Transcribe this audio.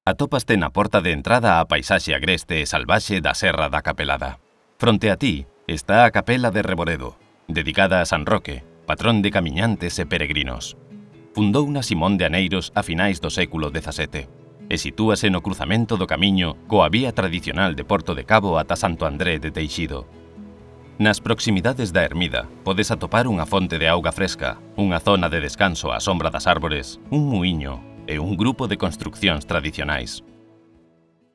Atópaste na porta de entrada á paisaxe agreste e salvaxe da Serra da Capelada. Fronte a ti está a Capela de Reboredo, dedicada a San Roque, patrón de camiñantes e peregrinos. Fundouna Simón de Aneiros a finais do século XVII e sitúase no cruzamento do camiño coa vía tradicional de Porto de Cabo ata Santo André de Teixido. Nas proximidades da ermida podes atopar unha fonte de auga fresca, unha zona de descanso á sombra das árbores, un muíño e un grupo de construccións tradicionais.